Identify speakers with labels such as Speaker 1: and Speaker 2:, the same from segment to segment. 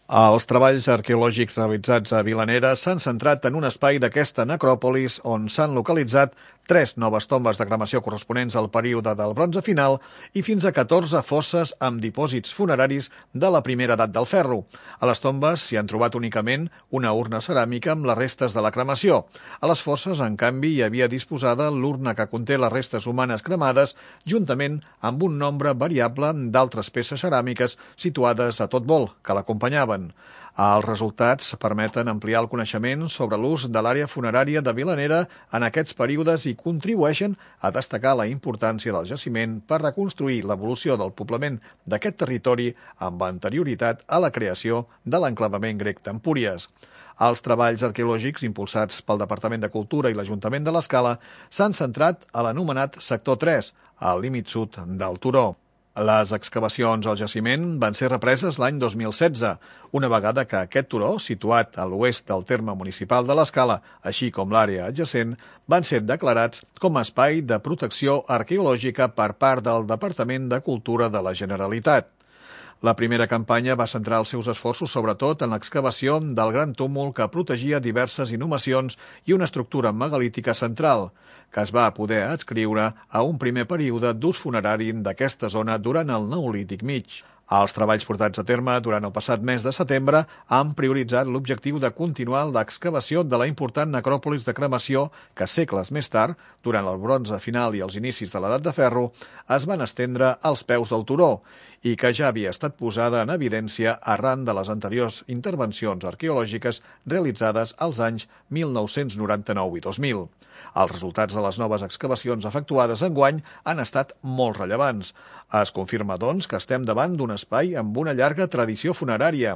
Speaker 1: Els treballs arqueològics realitzats a Vilanera s'han centrat en un espai d'aquesta necròpolis on s'han localitzat 3 noves tombes de cremació corresponents al període del bronze final i fins a 14 fosses amb dipòsits funeraris de la primera edat del ferro. A les tombes s'hi han trobat únicament una urna ceràmica amb les restes de la cremació. A les fosses, en canvi, hi havia disposada l'urna que conté les restes humanes cremades, juntament amb un nombre variable d'altres peces ceràmiques situades a tot vol, que l'acompanyaven. Els resultats permeten ampliar el coneixement sobre l'ús de l'àrea funerària de Vilanera en aquests períodes i contribueixen a destacar la importància del jaciment per reconstruir l'evolució del poblament d'aquest territori amb anterioritat a la creació de l'enclavament grec d'Empúries. Els treballs arqueològics impulsats pel Departament de Cultura i l'Ajuntament de l'Escala s'han centrat a l'anomenat Sector 3, al límit sud del turó. Les excavacions al jaciment van ser represes l'any 2016, una vegada que aquest turó, situat a l'oest del terme municipal de l'Escala, així com l'àrea adjacent, van ser declarats com a espai de protecció arqueològica per part del Departament de Cultura de la Generalitat. La primera campanya va centrar els seus esforços sobretot en l'excavació del gran túmul que protegia diverses inhumacions i una estructura megalítica central, que es va poder adscriure a un primer període d'ús funerari d'aquesta zona durant el Neolític mig. Els treballs portats a terme durant el passat mes de setembre han prioritzat l'objectiu de continuar l'excavació de la important necròpolis de cremació que segles més tard, durant el bronze final i els inicis de l'edat de ferro, es van estendre als peus del turó i que ja havia estat posada en evidència arran de les anteriors intervencions arqueològiques realitzades als anys 1999 i 2000. Els resultats de les noves excavacions efectuades enguany han estat molt rellevants. Es confirma, doncs, que estem davant d'un espai amb una llarga tradició funerària,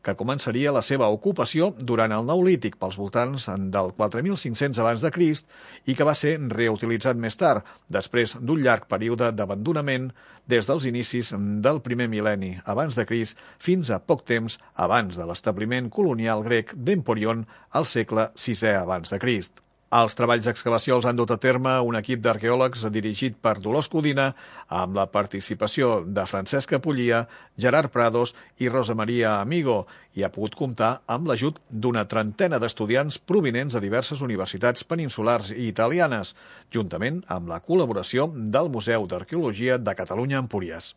Speaker 1: que començaria la seva ocupació durant el Neolític pels voltants del 4500 abans de Crist i que va ser reutilitzat més tard, després d'un llarg període d'abandonament des dels inicis del primer mil·lenni abans de Crist fins a poc temps abans de l'establiment colonial grec d'Emporion al segle VI abans de Crist. Els treballs d'excavació els han dut a terme un equip d'arqueòlegs dirigit per Dolors Codina amb la participació de Francesca Pullia, Gerard Prados i Rosa Maria Amigo i ha pogut comptar amb l'ajut d'una trentena d'estudiants provinents de diverses universitats peninsulars i italianes, juntament amb la col·laboració del Museu d'Arqueologia de Catalunya Empúries.